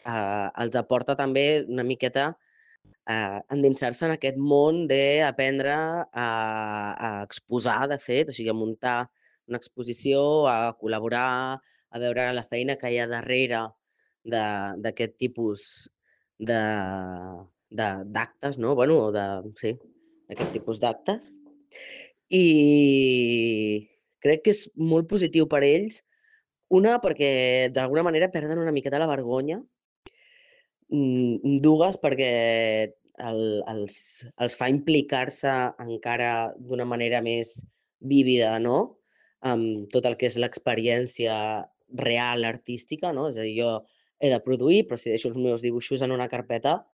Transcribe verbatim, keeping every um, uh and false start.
eh, els aporta també una miqueta eh, endinsar-se en aquest món d'aprendre a, a exposar, de fet, o sigui, a muntar una exposició, a col·laborar, a veure la feina que hi ha darrere d'aquest tipus de de- d'actes, no? Bueno, o de, sí, d'aquest tipus d'actes. I crec que és molt positiu per ells. Una, perquè d'alguna manera perden una miqueta la vergonya. Mm, dues, perquè el, els, els fa implicar-se encara d'una manera més vívida, no? Amb tot el que és l'experiència real artística, no? És a dir, jo he de produir, però si deixo els meus dibuixos en una carpeta,